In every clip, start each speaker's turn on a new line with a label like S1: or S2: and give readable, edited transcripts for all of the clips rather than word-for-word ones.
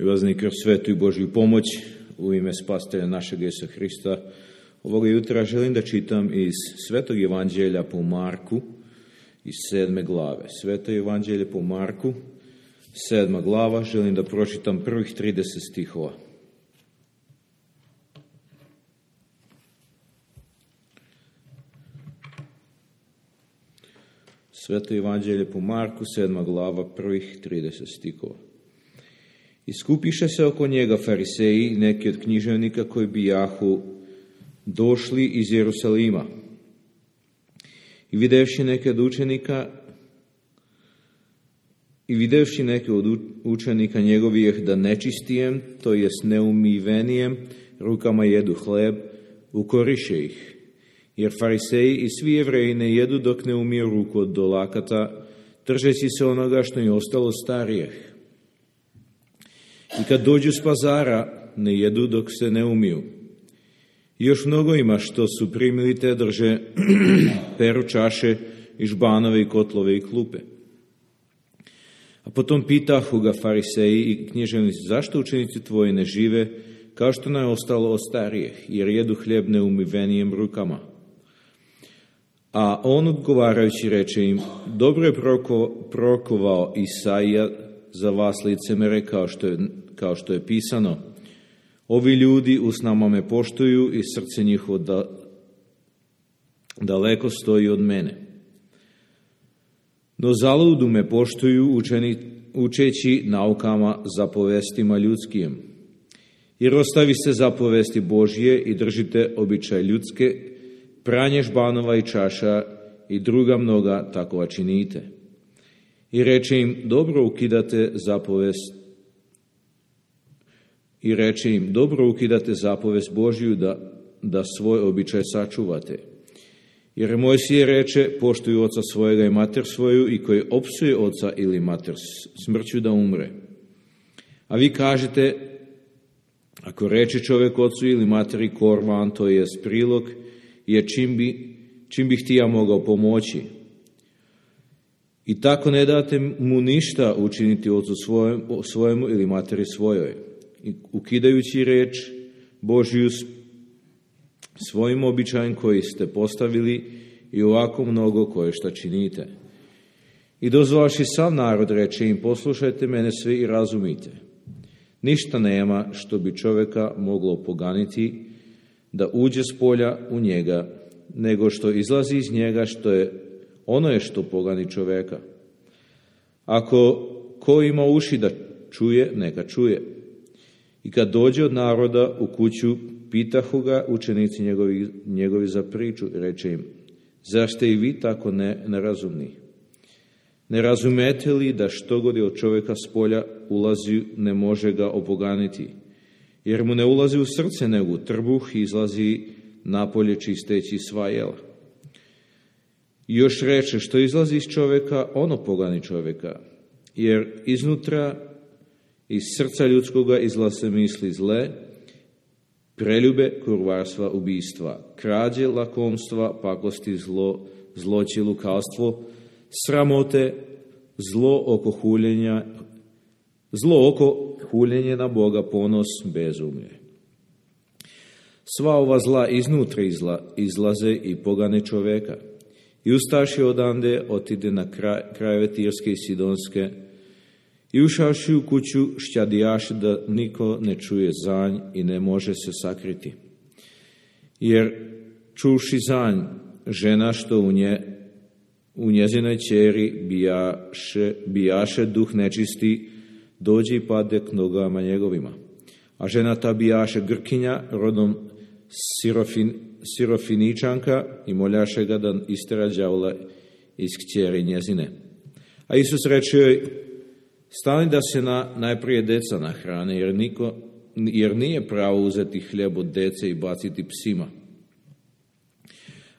S1: I vazni kroz svetu i Božju pomoć u ime spasitelja našeg Isusa Hrista. Ovoga jutra želim da čitam iz Svetog Evanđelja po Marku, iz 7. glave. Sveto Evanđelje po Marku, 7. glava, želim da pročitam prvih 30 stihova. Sveto Evanđelje po Marku, 7. glava, prvih 30 stihova. Iskupiše se oko njega fariseji i neki od književnika koji bijahu došli iz Jerusalima. I videvši neke od učenika njegovih da nečistijem, to jest neumivenijem, rukama jedu hleb, ukoriše ih. Jer fariseji i svi Jevreji ne jedu dok ne umiju ruku od dolakata, držeći se onoga što je ostalo starijeh. I kad dođu s pazara, ne jedu dok se ne umiju. I još mnogo ima što su primili te drže, peru čaše i žbanove i kotlove i klupe. A potom pitahu ga fariseji i književnici, zašto učenici tvoji ne žive kao što nam je ostalo od starijeh, jer jedu hljeb neumivenijem rukama. A on odgovarajući reče im, dobro je prorokovao Isaija za vas licemere, kao što je pisano. Ovi ljudi usnama me poštuju i srce njihovo daleko stoji od mene. No zaludu me poštuju učeći naukama zapovestima ljudskim. Jer ostaviste zapovesti Božje i držite običaj ljudske, pranje žbanova i čaša i druga mnoga takova činite. I reče im, dobro ukidate zapovest Božju da svoj običaj sačuvate. Jer Mojsije reče, poštuju oca svojega i mater svoju, i koji opsuje oca ili mater smrću da umre. A vi kažete, ako reče čovjek ocu ili materi korvan, to je prilog, jer čim bi htija mogao pomoći. I tako ne date mu ništa učiniti ocu svojemu ili materi svojoj. I ukidajući reč Božju svojim običajem koji ste postavili i ovako mnogo koje šta činite. I dozvaši sav narod, reče im, poslušajte mene svi i razumite. Ništa nema što bi čovjeka moglo poganiti da uđe s polja u njega, nego što izlazi iz njega, što pogani čovjeka. Ako ko ima uši da čuje, neka čuje. I kad dođe od naroda u kuću, pitahu ga učenici njegovi za priču, reče im, zar ste i vi tako nerazumni? Ne razumete li da što god je od čovjeka s polja ulazi, ne može ga opoganiti? Jer mu ne ulazi u srce, nego u trbuh i izlazi napolje čisteći sva jela. I još reče, što izlazi iz čovjeka, ono pogani čovjeka. Jer iznutra, iz srca ljudskoga izlaze misli zle, preljube, kurvarstva, ubijstva, krađe, lakomstva, pakosti, zloći, lukavstvo, sramote, zlo oko huljenje na Boga, ponos, bezumlje. Sva ova zla iznutra izlaze i pogane čovjeka. I ustaši odande, otide na krajeve Tirske i Sidonske, i ušavši u kuću šćadijaše da niko ne čuje zanj i ne može se sakriti. Jer čuvši zanj, žena što u njezinoj ćeri bijaše duh nečisti, dođe i pade k nogama njegovima. A žena ta bijaše Grkinja, rodom Sirofiničanka, i moljaše ga da istera đavola iz kćeri njezine. A Isus reče joj, stani da se najprije deca nahrane, jer nije pravo uzeti hljeb od dece i baciti psima.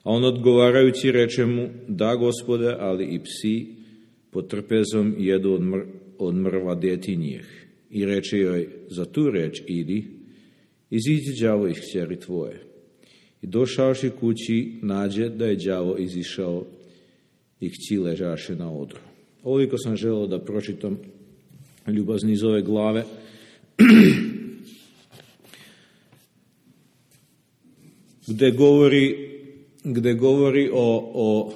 S1: A on odgovarajući reče mu, da Gospode, ali i psi pod trpezom jedu od mrva djetinjih. I reče joj, za tu reč idi, iziđi đavo iz kćeri tvoje. I došavši kući, nađe da je đavo izišao i kći ležaše na odru. Ovoliko sam želeo da pročitam ljubazni iz ove glave. gde govori o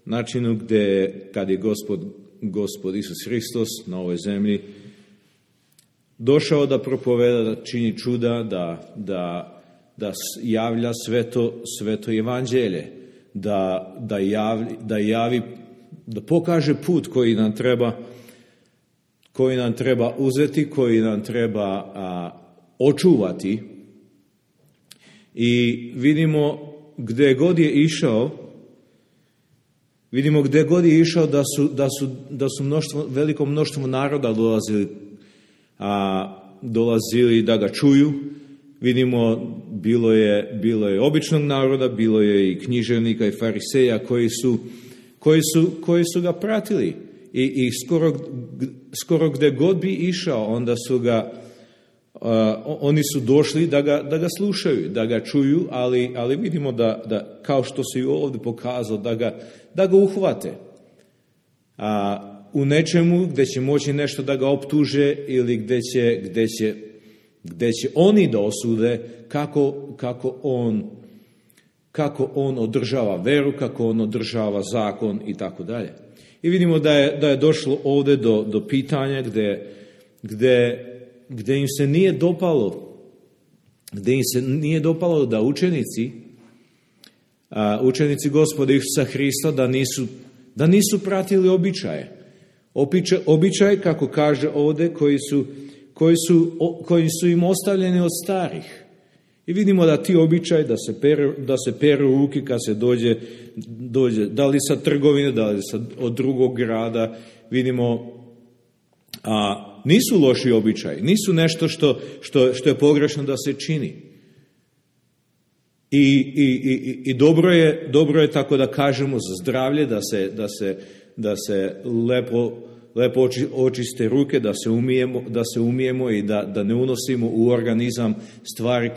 S1: načinu gde, kad je Gospod Isus Hristos na ovoj zemlji došao da propoveda, da čini čuda, da javlja sveto evanđelje, da javi, da pokaže put koji nam treba uzeti, koji nam treba očuvati. I vidimo gde god je išao da su veliko mnoštvo naroda dolazili da ga čuju. Vidimo, bilo je običnog naroda, bilo je i književnika i fariseja koji su ga pratili. I skoro gde god bi išao, onda su oni su došli da ga slušaju, da ga čuju, ali vidimo da kao što se i ovdje pokazao, da ga uhvate. U nečemu gde će moći nešto da ga optuže ili gde će oni da osude kako on održava veru, kako on održava zakon i tako dalje. I vidimo da je došlo ovdje do pitanja gde im se nije dopalo da učenici Gospoda Isusa Hrista da nisu pratili običaje. Običaje, kako kaže ovdje, koji su im ostavljeni od starih. I vidimo da ti običaji da se peru ruke kad se dođe da li sa trgovine, da li od drugog grada, vidimo nisu loši običaji, nisu nešto što je pogrešno da se čini. I dobro je tako da kažemo za zdravlje, da se lepo očiste ruke, da se umijemo i da ne unosimo u organizam stvari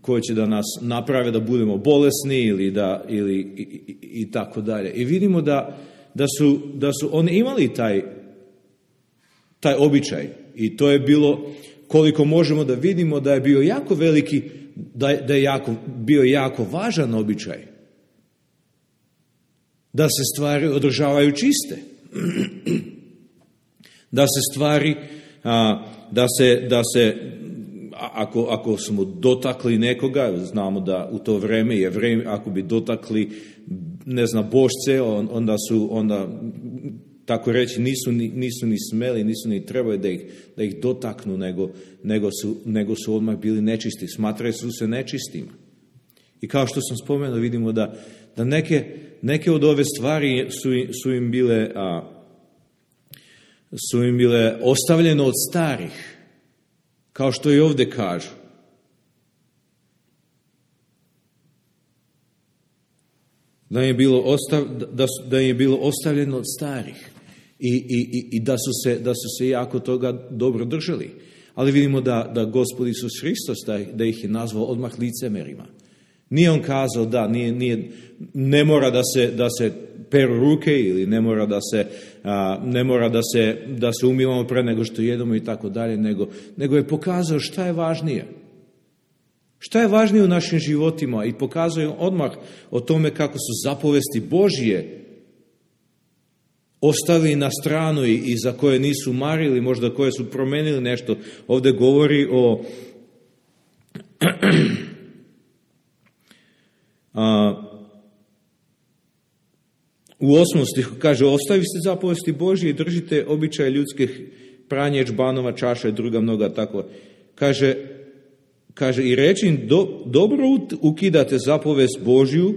S1: koje će da nas naprave da budemo bolesni ili i tako dalje. I vidimo da su oni imali taj običaj i to je bilo, koliko možemo da vidimo, da je bio jako veliki, da je bio jako važan običaj. Da se stvari održavaju čiste. Da se stvari, ako smo dotakli nekoga, znamo da u to vreme Jevreji, ako bi dotakli, bošce, onda tako reći, nisu ni smeli, nisu ni trebali da ih dotaknu, nego su odmah bili nečisti, smatrali su se nečistima. I kao što sam spomenuo, vidimo da neke od ove stvari su im bile ostavljene od starih, kao što i ovdje kažu. Da im je bilo ostavljeno od starih i da su se jako toga dobro držali. Ali vidimo da Gospod Isus Hristos da ih je nazvao odmah licemerima. Nije on kazao ne mora da se peru ruke ili ne mora da se umivamo pre nego što jedemo i tako dalje, nego je pokazao šta je važnije. Šta je važnije u našim životima i pokazuje odmah o tome kako su zapovesti Božje ostavili na stranu i za koje nisu marili, možda koje su promenili nešto. Ovdje govori o u 8. stihu kaže: ostavite zapovesti Božje i držite običaje ljudskih, pranje džbanova, čaša i druga mnoga tako. Kaže i reći im, dobro ukidate zapovest Božju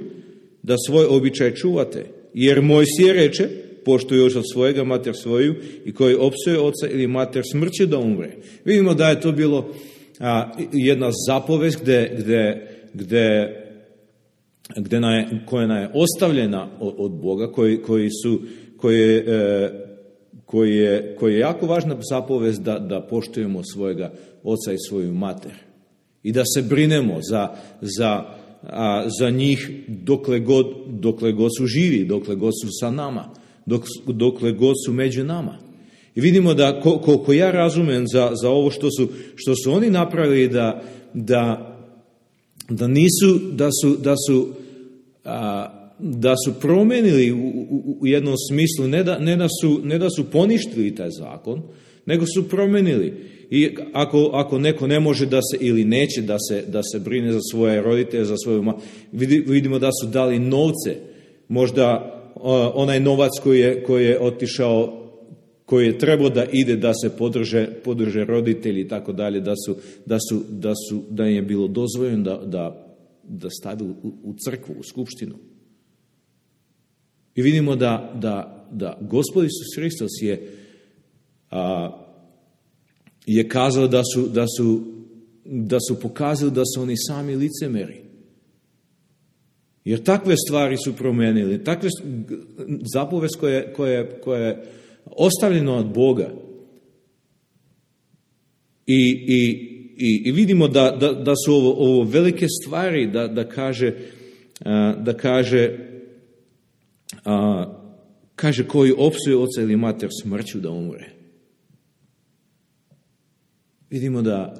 S1: da svoj običaj čuvate. Jer Mojsije reče, poštuj oca svojega, mater svoju, i koji opsuje oca ili mater, smrću da umre. Vidimo da je to bilo jedna zapovest koja nam je ostavljena od Boga, koji je jako važna zapovest da poštujemo svojega oca i svoju mater. I da se brinemo za njih dokle god su živi, dokle god su sa nama, dokle god su među nama. I vidimo da, koliko ja razumem za ovo što su oni napravili, da nisu, da su promenili u jednom smislu, ne da su poništili taj zakon, nego su promenili. I ako neko ne može da se, ili neće da se brine za svoje roditelje, za svoju vidimo da su dali novce, možda onaj novac koji je otišao, koji je trebao da ide da se podrže roditelji i tako dalje, da im je bilo dozvoljeno da stavi u crkvu, u skupštinu. I vidimo da Gospod Isus Hristos je kazao da su pokazali da su oni sami licemeri. Jer takve stvari su promenili, takve zapovest koja je ostavljena od Boga. I vidimo da su ovo velike stvari, kaže koji opsuje oca ili mater smrću da umre. Vidimo da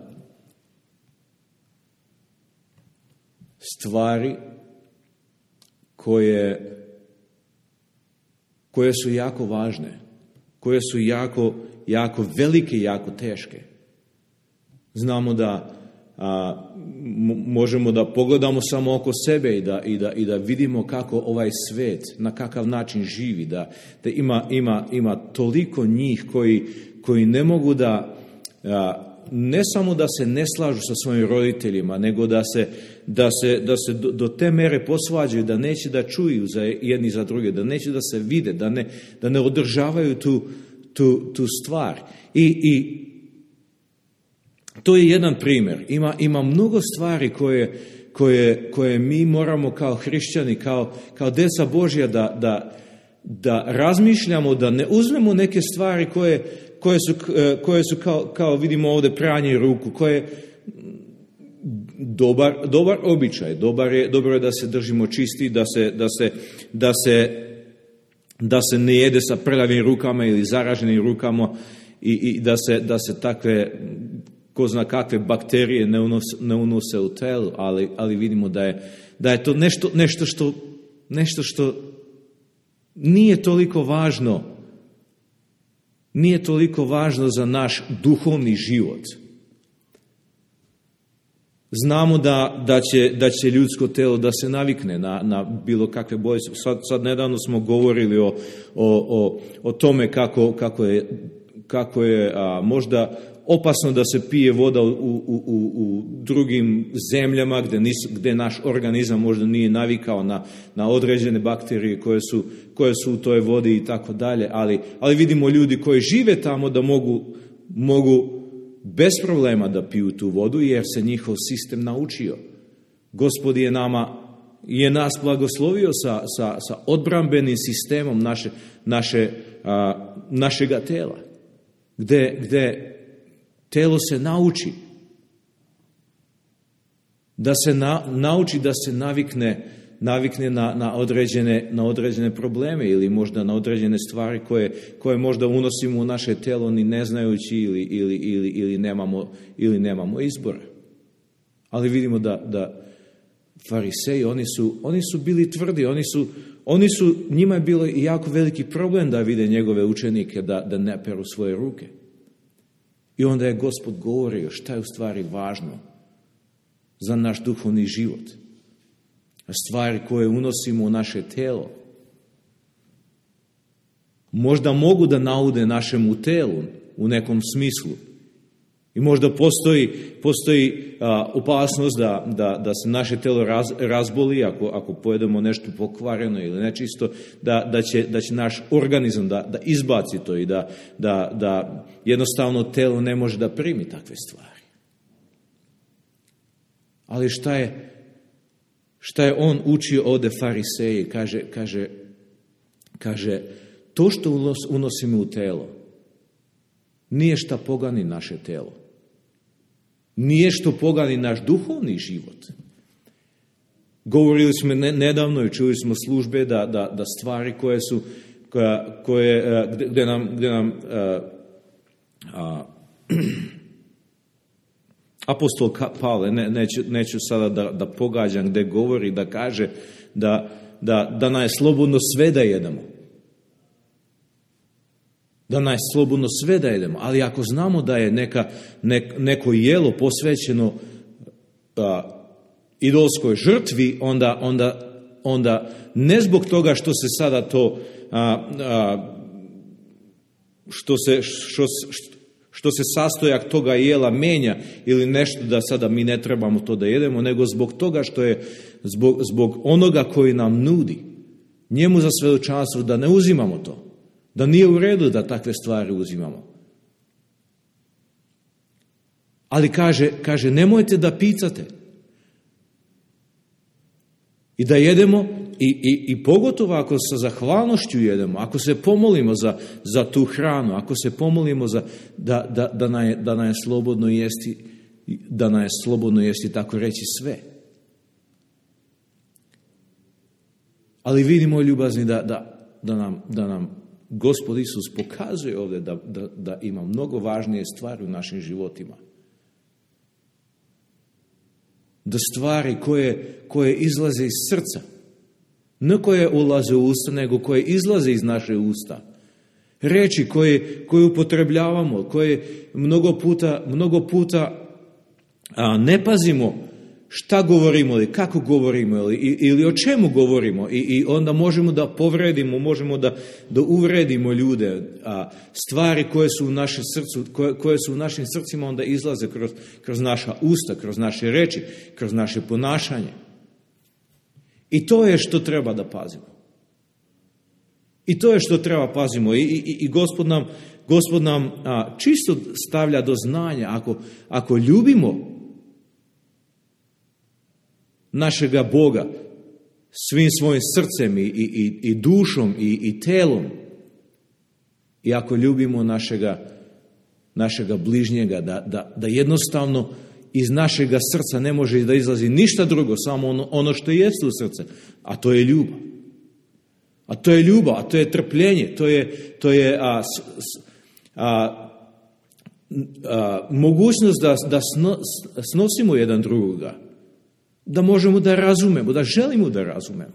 S1: stvari koje su jako važne, koje su jako velike i jako teške. Znamo da možemo da pogledamo samo oko sebe i da vidimo kako ovaj svet, na kakav način živi, da ima toliko njih koji ne mogu ne samo da se ne slažu sa svojim roditeljima, nego da se do te mere posvađaju, da neće da čuju za jedni za druge, da neće da se vide, da ne održavaju tu stvar. I to je jedan primjer. Ima mnogo stvari koje mi moramo kao hrišćani, kao djeca Božja da razmišljamo, da ne uzmemo neke stvari koje su kao vidimo ovdje pranje ruku, koje dobar običaj, dobro je da se držimo čisti, da se ne jede sa prljavim rukama ili zaraženim rukama i da se takve ko zna kakve bakterije ne unose u telo, ali vidimo da je to nešto što nije toliko važno. Nije toliko važno za naš duhovni život. Znamo da će ljudsko telo da se navikne na bilo kakve bolesti. Sad nedavno smo govorili o tome kako je možda opasno da se pije voda u drugim zemljama gdje naš organizam možda nije navikao na određene bakterije koje su u toj vodi i tako dalje, ali vidimo ljudi koji žive tamo da mogu bez problema da piju tu vodu jer se njihov sistem naučio. Gospod je nas blagoslovio sa odbrambenim sistemom našega tela, gdje telo se nauči da se navikne na određene probleme ili možda na određene stvari koje možda unosimo u naše telo ni ne znajući ili nemamo izbora. Ali vidimo da fariseji, oni su bili tvrdi, njima je bilo jako veliki problem da vide njegove učenike da ne peru svoje ruke. I onda je Gospod govorio šta je u stvari važno za naš duhovni život. Stvari koje unosimo u naše telo možda mogu da naude našemu telu u nekom smislu. I možda postoji opasnost da se naše telo razboli ako pojedemo nešto pokvareno ili nečisto, da će naš organizam da izbaci to i da jednostavno telo ne može da primi takve stvari. Ali šta je on učio ovdje fariseji? Kaže, to što unosimo u telo nije šta pogani naše telo. Nije što pogani naš duhovni život. Govorili smo nedavno i čuli smo službe da stvari gdje nam apostol Pavle, neću sada da pogađam gdje govori, da kaže da nam je slobodno sve da jedemo. Da nam je slobodno sve da jedemo, ali ako znamo da je neko jelo posvećeno idolskoj žrtvi, onda ne zbog toga što se sada to što se sastojak toga jela menja ili nešto da sada mi ne trebamo to da jedemo, nego zbog toga što je zbog onoga koji nam nudi njemu za svedočanstvo da ne uzimamo to, da nije u redu da takve stvari uzimamo. Ali kaže nemojte da picate i da jedemo i pogotovo ako sa zahvalnošću jedemo, ako se pomolimo za tu hranu, ako se pomolimo da nam je slobodno jesti, da nam je slobodno jesti, tako reći, sve. Ali vidimo, ljubazni, da nam Gospod Isus pokazuje ovdje da ima mnogo važnije stvari u našim životima. Da stvari koje izlaze iz srca, ne koje ulaze u usta, nego koje izlaze iz naše usta. Reči koje upotrebljavamo, koje mnogo puta ne pazimo šta govorimo ili kako govorimo ili o čemu govorimo i onda možemo da povredimo, možemo da uvredimo ljude. Stvari koje su u našem srcu, koje su u našim srcima, onda izlaze kroz naša usta, kroz naše reči, kroz naše ponašanje. I to je što treba da pazimo. I to je što treba pazimo. I Gospod nam čisto stavlja do znanja, ako ljubimo našega Boga svim svojim srcem i dušom i telom, i ako ljubimo našega bližnjega, da jednostavno iz našega srca ne može da izlazi ništa drugo, samo ono što jeste u srce, a to je ljubav. A to je ljubav, a to je trpljenje, to je mogućnost da snosimo jedan drugoga, da možemo da razumemo, da želimo da razumemo.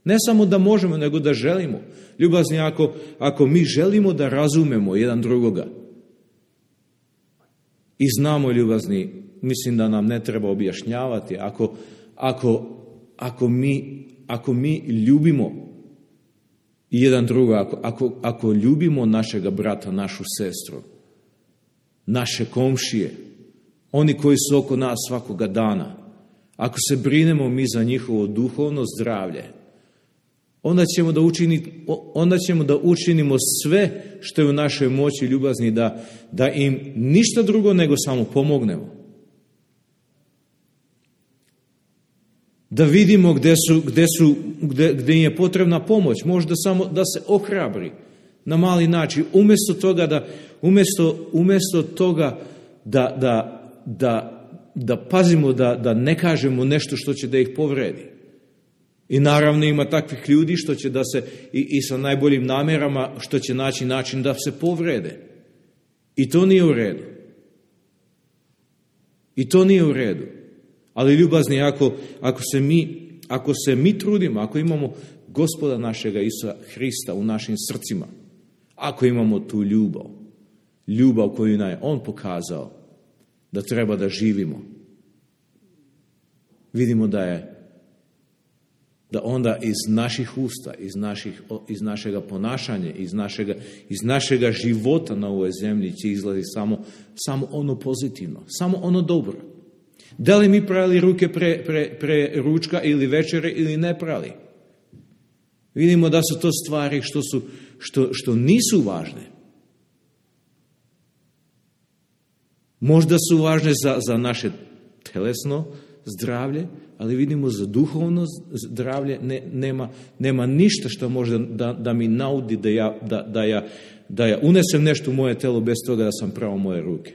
S1: Ne samo da možemo, nego da želimo. Ljubazni, ako mi želimo da razumemo jedan drugoga i znamo, ljubazni, mislim da nam ne treba objašnjavati, ako mi ljubimo jedan druga, ako ljubimo našega brata, našu sestru, naše komšije, oni koji su oko nas svakoga dana, ako se brinemo mi za njihovo duhovno zdravlje, onda ćemo da učinimo sve što je u našoj moći, ljubazni, da im ništa drugo nego samo pomognemo. Da vidimo gdje im je potrebna pomoć, možda samo da se ohrabri na mali način, umjesto toga da pazimo da ne kažemo nešto što će da ih povredi. I naravno ima takvih ljudi što će da se i sa najboljim namjerama što će naći način da se povrede. I to nije u redu. I to nije u redu. Ali ljubazni, ako se mi trudimo, ako imamo Gospoda našega Isusa Hrista u našim srcima, ako imamo tu ljubav koju nam je On pokazao da treba da živimo, vidimo da onda iz naših usta, iz našega ponašanja, iz našega života na ovoj zemlji će izlazi samo ono pozitivno, samo ono dobro. Da li mi prali ruke pre ručka ili večere ili ne prali? Vidimo da su to stvari što nisu važne. Možda su važne za naše telesno zdravlje, ali vidimo za duhovno zdravlje nema ništa što može da mi naudi da ja unesem nešto u moje telo bez toga da sam prao moje ruke.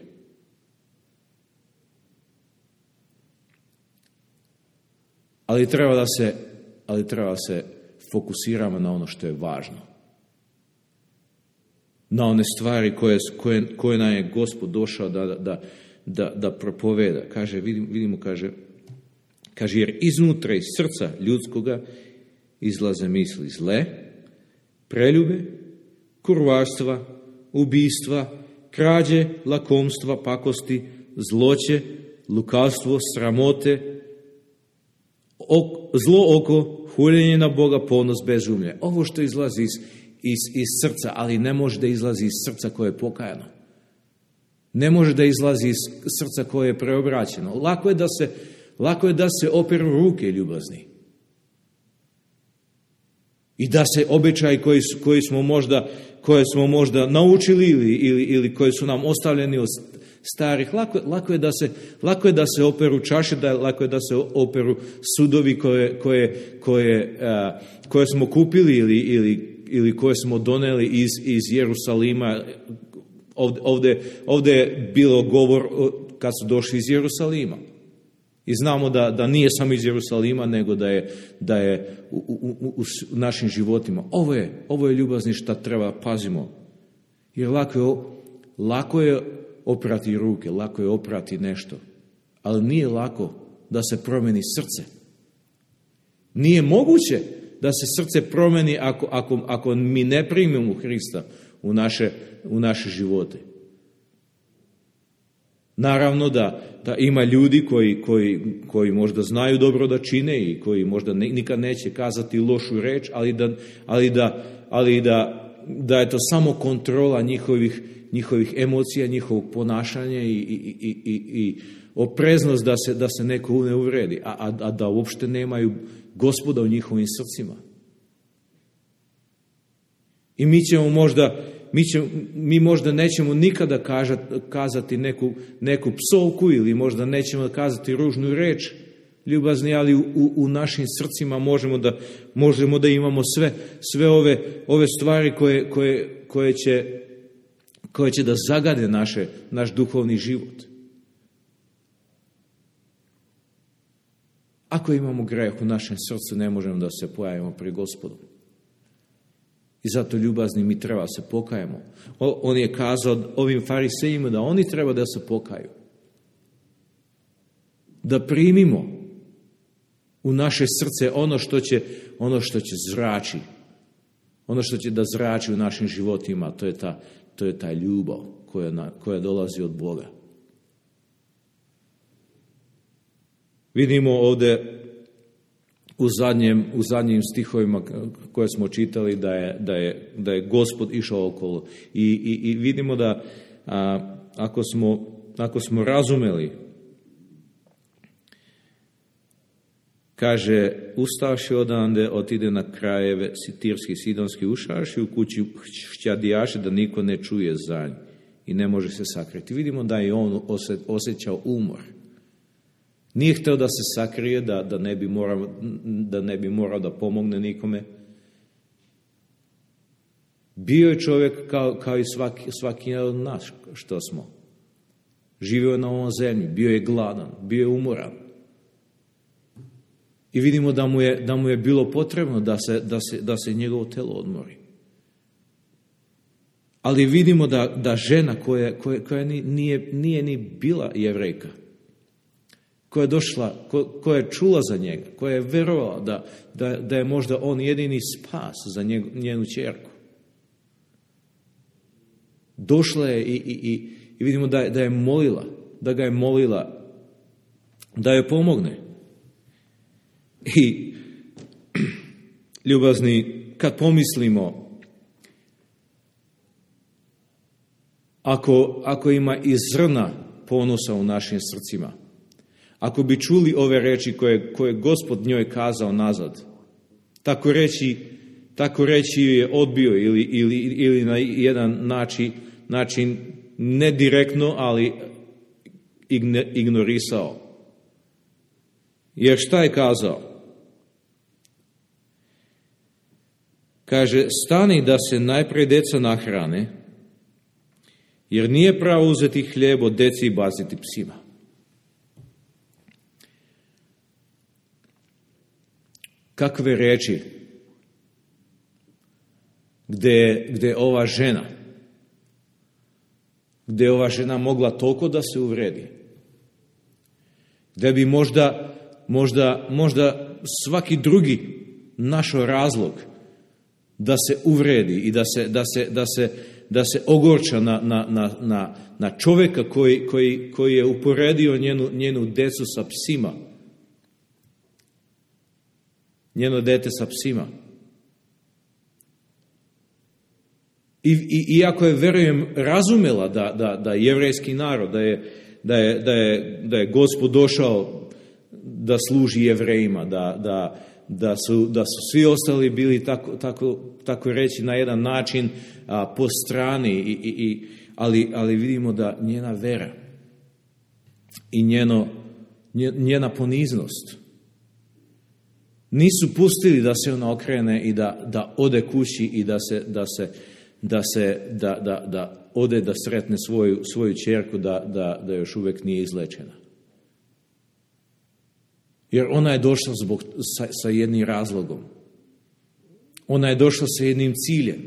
S1: Ali treba da se fokusiramo na ono što je važno. na one stvari koje nam je Gospod došao da propoveda. Kaže, vidimo, kaže, jer iznutra iz srca ljudskoga izlaze misli zle, preljube, kurvarstva, ubijstva, krađe, lakomstva, pakosti, zloće, lukavstvo, sramote, zlo oko, huljenje na Boga, ponos, bezumlje. Ovo što izlazi iz srca, ali ne može da izlazi iz srca koje je pokajano. Ne može da izlazi iz srca koje je preobraćeno. Lako je da se operu ruke, ljubazni. I da se običaji koje smo možda naučili ili koji su nam ostavljeni od starih, lako je da se operu čaše, lako je da se operu sudovi koje smo kupili ili koje smo doneli iz Jerusalima. Ovdje je bilo govor kad su došli iz Jerusalima. I znamo da nije samo iz Jerusalima, nego da je u našim životima. Ovo je ljubazni što treba pazimo. Jer lako je oprati ruke, lako je oprati nešto. Ali nije lako da se promeni srce. Nije moguće da se srce promeni ako mi ne primimo Hrista u naše živote. Naravno da ima ljudi koji možda znaju dobro da čine i koji možda nikad neće kazati lošu reč, ali da je to samo kontrola njihovih emocija, njihovog ponašanja i opreznost da se neko ne uvredi, a da uopšte nemaju Gospoda u njihovim srcima. I mi možda nećemo nikada kazati neku psovku ili možda nećemo kazati ružnu reč, ljubazni, ali u našim srcima možemo da imamo sve ove stvari koje će da zagade naš duhovni život. Ako imamo greh u našem srcu, ne možemo da se pojavimo pri Gospodu. I zato, ljubazni, mi treba se pokajemo. On je kazao ovim farisejima da oni treba da se pokaju. Da primimo u naše srce ono što će zrači. Ono što će da zrači u našim životima, to je ta ljubav koja dolazi od Boga. Vidimo ovdje u zadnjim stihovima koje smo čitali da je Gospod išao okolo. I vidimo da ako smo razumeli, kaže, ustavši odande, otide na krajeve Tirski, Sidonski, ušavši u kući šćadijaše da niko ne čuje za nj i ne može se sakriti. Vidimo da je on osjećao umor. Nije htio da se sakrije, da ne bi morao da pomogne nikome. Bio je čovjek kao i svaki od nas što smo. Živio je na ovom zemlji, bio je gladan, bio je umoran. I vidimo da mu je bilo potrebno da se njegovo telo odmori. Ali vidimo da žena koja nije ni bila Jevrejka, koja je došla, koja je čula za njega, koja je verovala da je možda on jedini spas za njenu ćerku. Došla je i vidimo da je molila, da ga je molila da joj pomogne. I ljubazni, kad pomislimo, ako ima i zrna ponosa u našim srcima, ako bi čuli ove reči koje Gospod njoj kazao nazad, tako reći je odbio ili na jedan način ne direktno, ali ignorisao. Jer šta je kazao? Kaže, stani da se najprej deca nahrane, jer nije pravo uzeti hljeb od deci i baciti psima. Kakve reči gdje ova žena gdje je ova žena mogla toliko da se uvredi. Gdje bi možda svaki drugi našao razlog da se uvredi i da se ogorča na čovjeka koji je uporedio njenu decu sa psima. Njeno dete sa psima. Iako je, verujem, razumela da jevrejski narod, da je Gospod došao da služi Jevrejima, da su svi ostali bili tako reći na jedan način po strani, ali vidimo da njena vera i njena poniznost nisu pustili da se ona okrene i da ode kući i da ode da sretne svoju ćerku da još uvijek nije izlečena. Jer ona je došla sa jednim razlogom. Ona je došla sa jednim ciljem.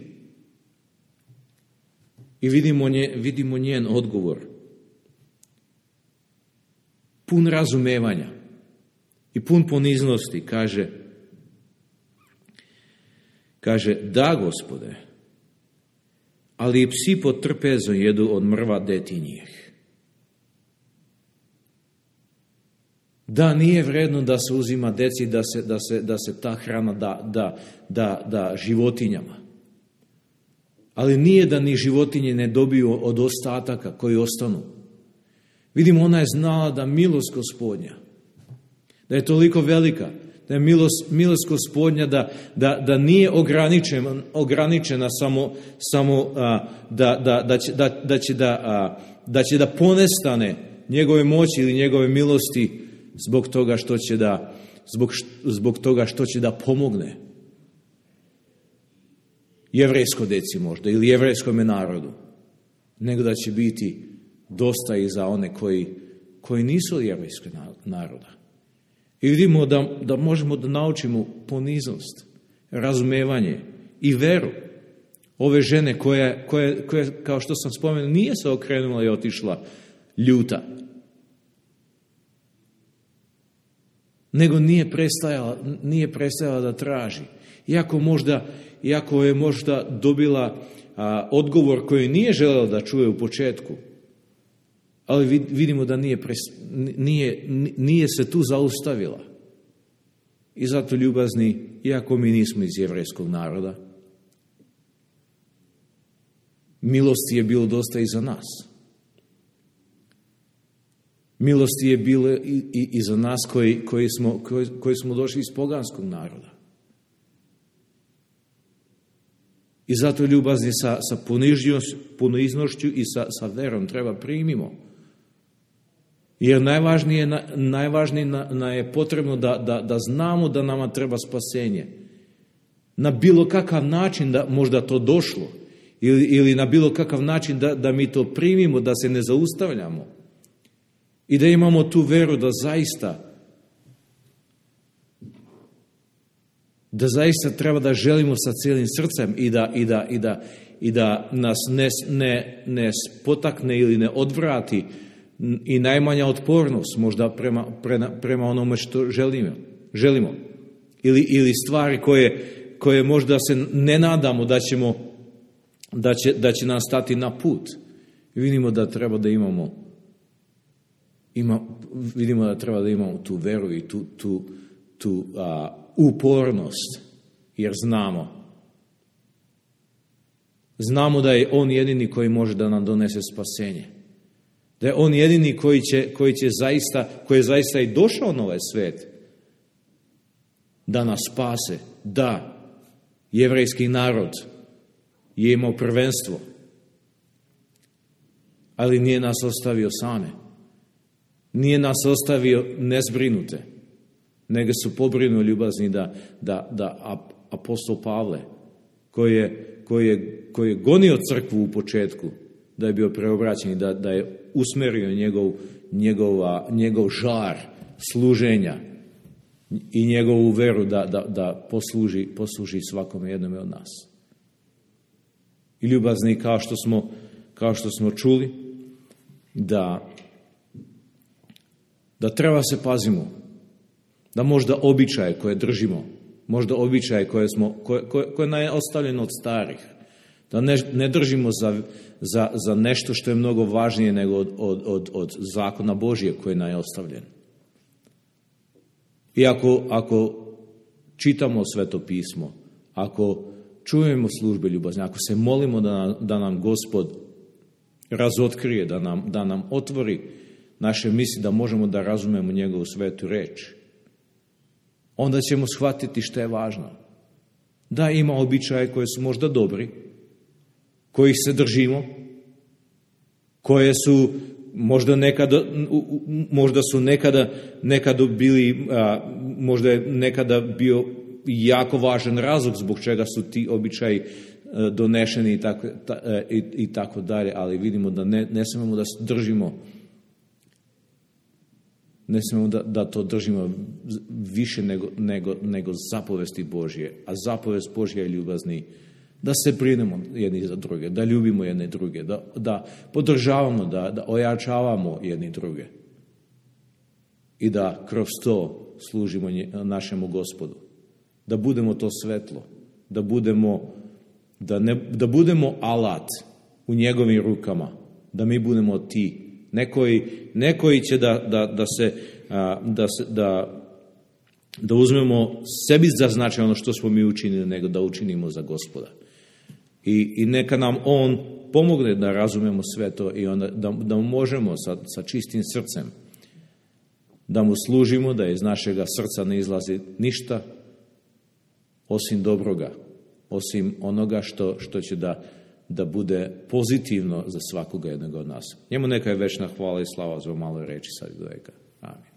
S1: I vidimo njen odgovor. Pun razumevanja i pun poniznosti, kaže, da, Gospode, ali i psi pod trpezom jedu od mrva detinjih. Da, nije vredno da se uzima deci, da se ta hrana da životinjama. Ali nije da ni životinje ne dobiju od ostataka koji ostanu. Vidimo, ona je znala da milost Gospodnja, da je toliko velika, da je milost Gospodnja, da nije ograničena samo da će da ponestane njegove moći ili njegove milosti zbog toga što će da pomogne jevrejsko deci možda ili jevrejskome narodu, nego da će biti dosta i za one koji nisu jevrejskog naroda. I vidimo da možemo da naučimo poniznost, razumevanje i veru ove žene koja, kao što sam spomenuo, nije se okrenula i otišla ljuta, nego nije prestajala da traži. Iako je možda dobila odgovor koji nije želela da čuje u početku, ali vidimo da nije se tu zaustavila. I zato, ljubazni, iako mi nismo iz jevrejskog naroda, milosti je bilo dosta i za nas. Milosti je bilo i za nas koji smo došli iz poganskog naroda. I zato, ljubazni, sa poniznošću i sa verom treba primimo. Jer najvažnije je potrebno da znamo da nama treba spasenje. Na bilo kakav način da možda to došlo, ili na bilo kakav način da mi to primimo, da se ne zaustavljamo. I da imamo tu veru da zaista treba da želimo sa cijelim srcem i da nas ne potakne ili ne odvrati i najmanja otpornost možda prema onome što želimo. Ili stvari koje možda se ne nadamo da će nas stati na put. Vidimo da treba da imamo tu veru i tu upornost, jer znamo da je On jedini koji može da nam donese spasenje. Da je On jedini koji je zaista i došao na ovaj svet da nas spase. Da, jevrejski narod je imao prvenstvo, ali nije nas ostavio same. Nije nas ostavio nezbrinute, nego su pobrinuli, ljubazni, da apostol Pavle, koji je gonio crkvu u početku, da je bio preobraćen i da je usmerio njegov žar služenja i njegovu veru da posluži svakome jednome od nas. I ljubazni, kao što smo čuli, da treba se pazimo, da možda običaje koje držimo, možda običaje koje nam je ostavljeno od starih, da ne držimo za nešto što je mnogo važnije nego od zakona Božije koje nam je ostavljen. I ako čitamo Sveto pismo, ako čujemo službe ljubazne, ako se molimo da nam Gospod razotkrije, da nam otvori naše misli, da možemo da razumemo njegovu svetu reč, onda ćemo shvatiti što je važno. Da ima običaje koje su možda dobri, kojih se držimo, koje su možda nekada bili, možda je nekada bio jako važan razlog zbog čega su ti običaji donešeni i tako dalje, ali vidimo da ne smemo da se držimo, ne smemo da to držimo više nego zapovesti Božje, a zapovest Božja je ljubazni, da se brinemo jedni za druge, da ljubimo jedne druge, da podržavamo, da ojačavamo jedni druge i da kroz to služimo našemu Gospodu. Da budemo to svetlo, da budemo alat u njegovim rukama, da mi budemo ti. Nekoji će da uzmemo sebi za značaj ono što smo mi učinili, nego da učinimo za Gospoda. I neka nam on pomogne da razumemo sve to i onda da možemo sa čistim srcem da mu služimo, da iz našega srca ne izlazi ništa osim dobroga, osim onoga što će da bude pozitivno za svakoga jednog od nas. Njemu neka je večna hvala i slava za maloj reči sad do veka. Amin.